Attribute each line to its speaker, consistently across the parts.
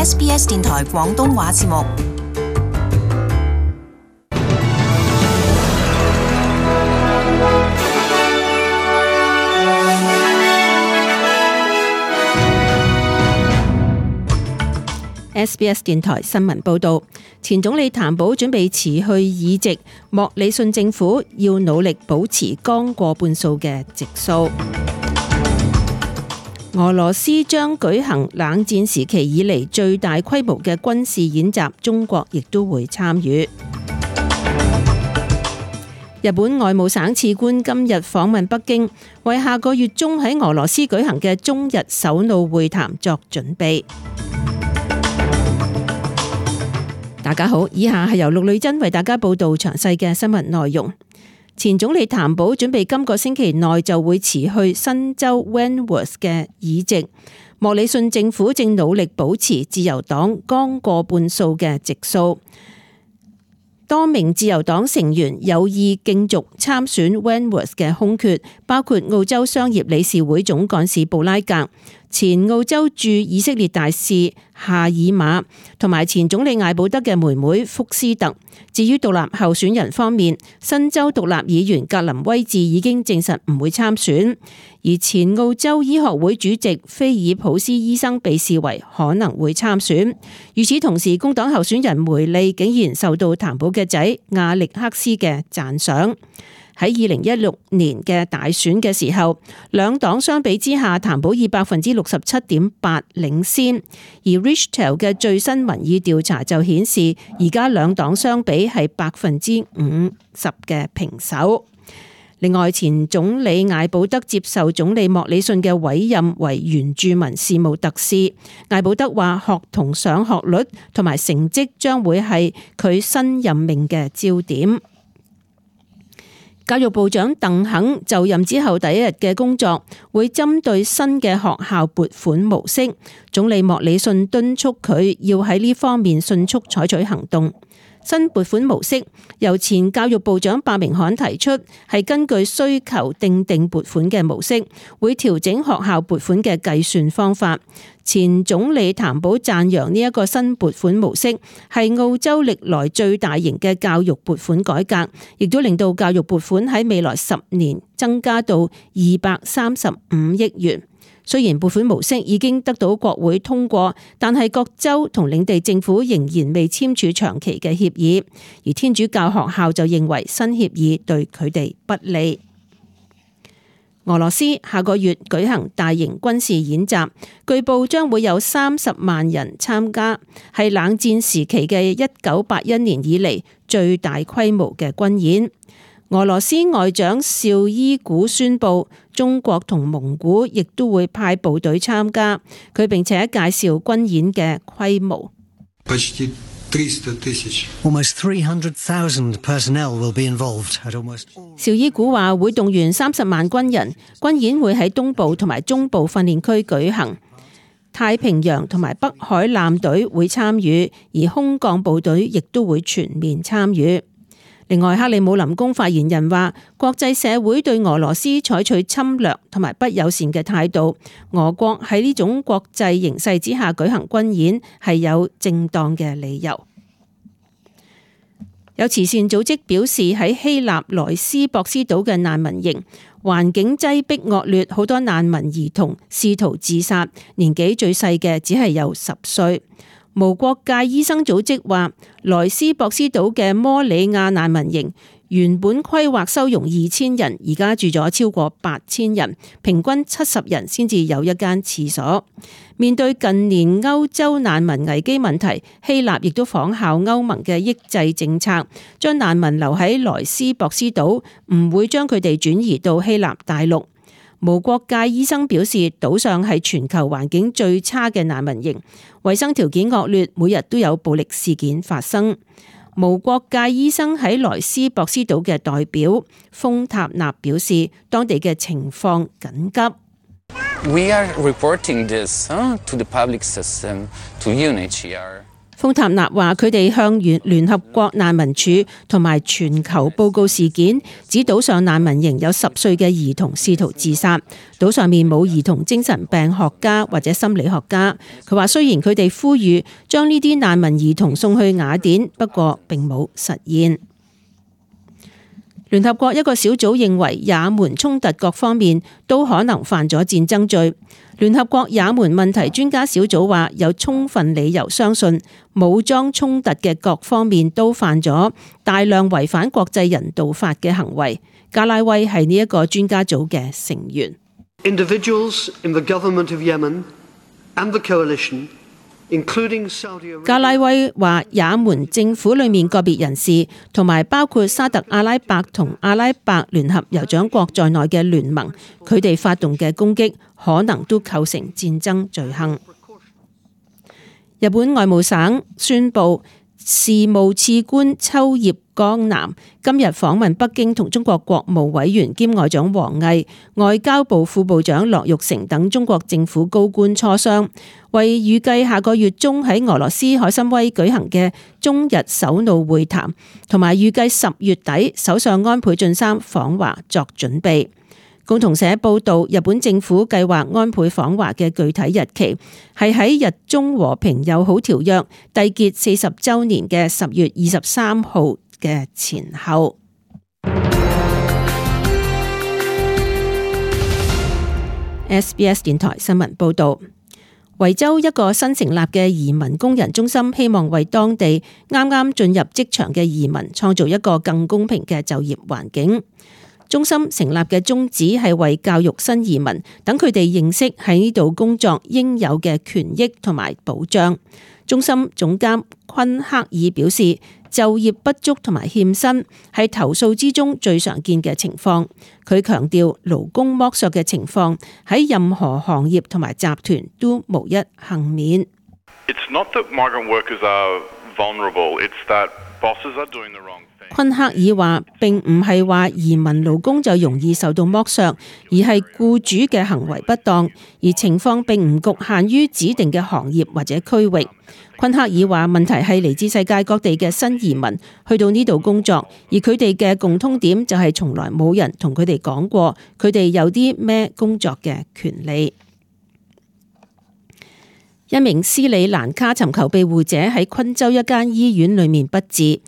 Speaker 1: SBS 電台廣東話節目。
Speaker 2: SBS 電台新聞報導，前總理譚寶準備辭去議席，莫里遜政府要努力保持剛過半數嘅席數。俄羅斯將舉行冷戰時期以嚟最大規模嘅軍事演習，中國亦都會參與。日本外務省次官今日訪問北京，為下個月中喺俄羅斯舉行嘅中日首腦會談作準備。大家好，以下係由陸女真為大家報道詳細嘅新聞內容。前總理譚寶準備今個星期內就會辭去新州 Wentworth 嘅議席，莫里遜政府正努力保持自由黨剛過半數嘅席數。多名自由黨成員有意競逐參選 Wentworth 嘅空缺，包括澳洲商業理事會總幹事布拉格、前澳洲駐以色列大使夏爾馬同埋前總理艾保德嘅妹妹福斯特。至於獨立候選人方面，新州獨立議員格林威治已經證實唔會參選，而前澳洲醫學會主席菲爾普斯醫生被視為可能會參選。與此同時，工黨候選人梅利竟然受到譚寶嘅仔亞歷克斯嘅讚賞。喺2016年嘅大選嘅時候，兩黨相比之下，譚寶以67.8%領先，而 Richtell 嘅最新民意調查就顯示，而家兩黨相比係50%嘅平手。另外，前總理艾保德接受總理莫里遜嘅委任為原住民事務特使。艾保德話，學童上學率同埋成績將會係佢新任命嘅焦點。教育部長鄧肯就任之後第一日嘅工作會針對新嘅學校撥款模式，總理莫里遜敦促佢要喺呢方面迅速採取行動。新撥款模式由前教育部長白明翰提出，係根據需求訂定撥款嘅模式，會調整學校撥款嘅計算方法。前總理譚寶讚揚呢一個新撥款模式係澳洲歷來最大型嘅教育撥款改革，亦都令到教育撥款喺未來10年增加到235億元。雖然撥款模式已經得到國會通過，但係各州同領地政府仍然未簽署長期嘅協議，而天主教學校就認為新協議對佢哋不利。俄羅斯下個月舉行大型軍事演習，據報將會有30萬人參加，係冷戰時期嘅1981年以嚟最大規模嘅軍演。俄羅斯外長紹伊古宣布，中國同蒙古亦都會派部隊參加，佢並且介紹軍演嘅規模。
Speaker 3: Almost 300,000 personnel will be involved at almost all.
Speaker 2: 紹伊古話會動員30萬軍人，軍演會喺東部同埋中部訓練區舉行，太平洋同埋北海艦隊會參與，而空降部隊亦都會全面參與。另外，克里姆林宮發言人話，國際社會對俄羅斯採取侵略同埋不友善嘅態度，俄國喺呢種國際形勢之下舉行軍演係有正當嘅理由。有慈善組織表示，喺希臘萊斯博斯島嘅難民營環境擠迫惡劣，好多難民兒童試圖自殺，年紀最細嘅只係有10歲。無國界醫生組織話，萊斯博斯島嘅摩里亞難民營原本規劃收容2000人，而家住咗超過8000人，平均70人先至有一間廁所。面對近年歐洲難民危機問題，希臘亦都仿效歐盟嘅抑制政策，將難民留喺萊斯博斯島，唔會將佢哋轉移到希臘大陸。無國界醫生表示，島上係全球環境最差嘅難民營，衛生條件惡劣，每日都有暴力事件發生。無國界醫生喺萊斯博斯島嘅代表豐塔納表示，當地嘅情況緊急。
Speaker 4: We are reporting this to the public system, to UNHCR.
Speaker 2: 豐塔納話佢哋向聯合國難民署同埋全球報告事件，指島上難民營有10歲嘅兒童試圖自殺，島上面冇兒童精神病學家或者心理學家。佢話雖然佢哋呼籲將呢啲難民兒童送去雅典，不過並冇實現。聯合國一個小組認為也門衝突各方面都可能犯咗戰爭罪。聯合國也門問題專家小組話有充分理由相信武裝衝突嘅各方面都犯咗大量違反國際人道法嘅行為。加拉威係呢一個專家組嘅成員。
Speaker 4: Individuals in the government of Yemen and the coalition
Speaker 2: 加拉威話也門政府裏面個別人士同埋包括沙特阿拉伯同阿拉伯聯合酋長國在內嘅聯盟，佢哋發動嘅攻擊可能都構成戰爭罪行。日本外務省宣布，事務次官秋葉剛男今日訪問北京，同中國國務委員兼外長王毅、外交部副部長樂玉成等中國政府高官磋商，為預計下個月中喺俄羅斯海參崴舉行嘅中日首腦會談，同埋預計10月底首相安倍晉三訪華作準備。共同社報道，日本政府計劃安倍訪華嘅具體日期係喺日中和平友好條約締結40週年嘅10月23號嘅前後。SBS 電台新聞報道，維州一個新成立嘅移民工人中心希望為當地啱啱進入職場嘅移民創造一個更公平嘅就業環境。中心成立嘅宗旨係為教育新移民，等佢哋認識喺呢度工作應有嘅權益同埋保障。中心總監昆克爾表示，就業不足同埋欠薪係投訴之中最常見嘅情況。佢強調勞工剝削嘅情況喺任何行業同埋集團都無一幸免。
Speaker 5: It's not that migrant workers are vulnerable, it's that bosses are doing the wrong thing.
Speaker 2: 昆克爾話並唔係話移民勞工就容易受到剝削，而係僱主嘅行為不當，而情況並唔局限於指定嘅行業或者區域。昆克爾話問題係嚟自世界各地嘅新移民去到呢度工作，而佢哋嘅共通點就係從來冇人同佢哋講過佢哋有啲咩工作嘅權利。一名斯里蘭卡尋求庇護者喺昆州一間醫院裏面不治。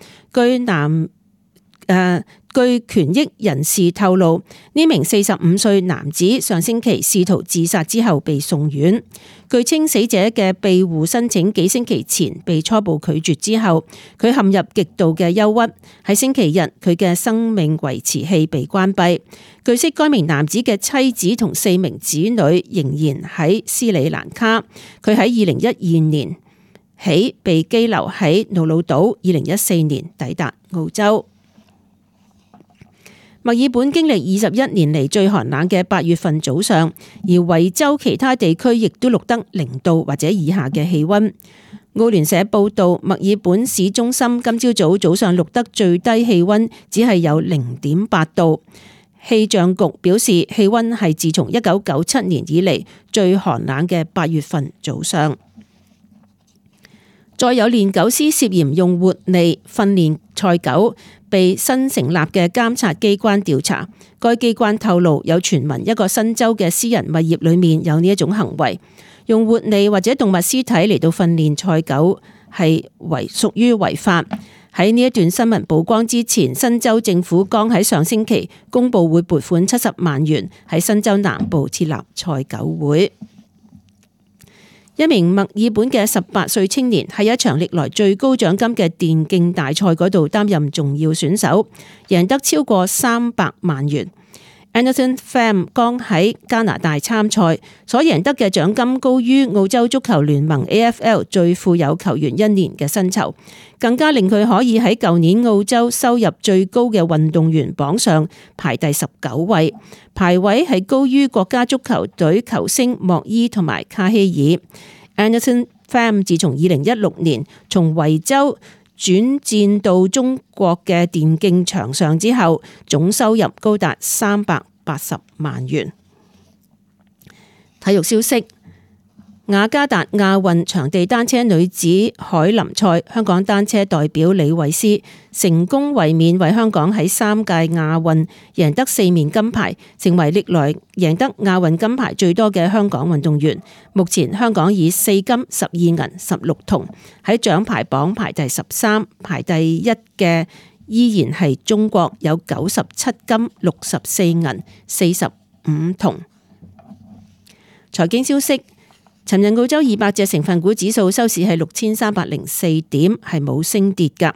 Speaker 2: 據權益人士透露，呢名45歲男子上星期試圖自殺之後被送院。據稱，死者嘅庇護申請幾星期前被初步拒絕之後，佢陷入極度嘅憂鬱。喺星期日，佢嘅生命維持器被關閉。據悉，該名男子嘅妻子同4名子女仍然喺斯里蘭卡。佢喺2012年起被羈留喺瑙魯島，2014年抵達澳洲。墨爾本經歷21年嚟最寒冷嘅8月份早上，而維州其他地區亦都錄得0度或者以下嘅氣溫。澳聯社報道，墨爾本市中心今朝早上錄得最低氣溫只係有0.8度。氣象局表示，氣溫係自從1997年以嚟最寒冷嘅8月份早上。再有練狗師涉嫌用活餌訓練賽狗，被新成立嘅監察機關調查。該機關透露，有傳聞一個新州嘅私人物業裏面有呢一種行為，用活餌或者動物屍體嚟到訓練賽狗係屬於違法。喺呢一段新聞曝光之前，新州政府剛喺上星期公布會撥款70萬元喺新州南部設立賽狗會。一名墨爾本嘅18歲青年喺一場歷來最高獎金嘅電競大賽嗰度擔任重要選手，贏得超過300萬元。Anderson Pham 剛喺加拿大參賽，所贏得嘅獎金高於澳洲足球聯盟 AFL 最富有球員1年嘅薪酬，更加令佢可以喺舊年澳洲收入最高嘅運動員榜上排第19位，排位係高於國家足球隊球星莫伊同埋卡希爾。Anderson Pham 自從2016年從維州轉戰到中國嘅電競場上之後，總收入高達380萬元。體育消息，雅加達亞運場地單車女子凱林賽，香港單車代表李慧詩成功衛冕，為香港喺3屆亞運贏得4面金牌，成為歷來贏得亞運金牌最多嘅香港運動員。目前香港以4金、12銀、16銅喺獎牌榜排第13，排第一嘅依然係中國，有97金、64銀、45銅。財經消息。尋日澳洲200隻成分股指數收市係6304點，係冇升跌㗎。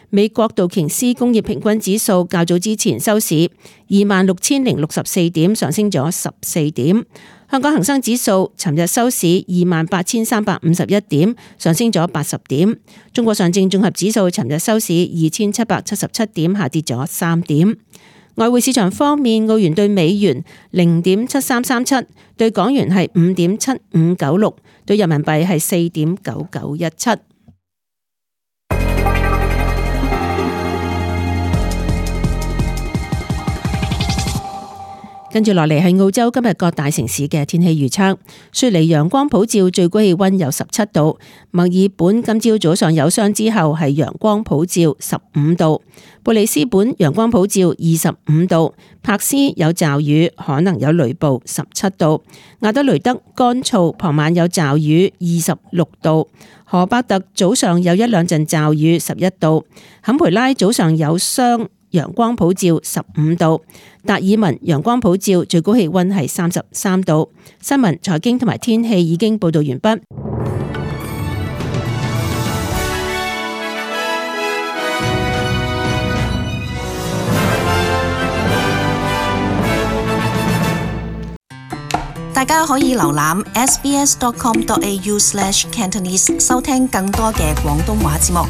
Speaker 2: 美國道瓊斯工業平均指數較早之前收市26,064點，上升咗14點。香港恒生指數尋日收市28,351點，上升咗80點。中國上證綜合指數尋日收市2,777點，下跌咗3點。外匯市場方面，澳元對美元0.7337，對港元係5.7596，對人民幣係4.9917。跟住落嚟係澳洲今日各大城市嘅天氣預測。雪梨陽光普照，最高氣溫有17度；墨爾本今朝早上有霜之後係陽光普照15度；布里斯本陽光普照25度；柏斯有驟雨，可能有雷暴17度；亞德雷德乾燥，傍晚有驟雨26度；荷伯特早上有一兩陣驟雨11度；坎培拉早上有霜，陽光普照15度，達爾文陽光普照，最高氣溫係33度。新聞、財經同埋天氣已經報道完畢。
Speaker 1: 大家可以瀏覽 sbs.com.au/cantonese 收聽更多嘅廣東話節目。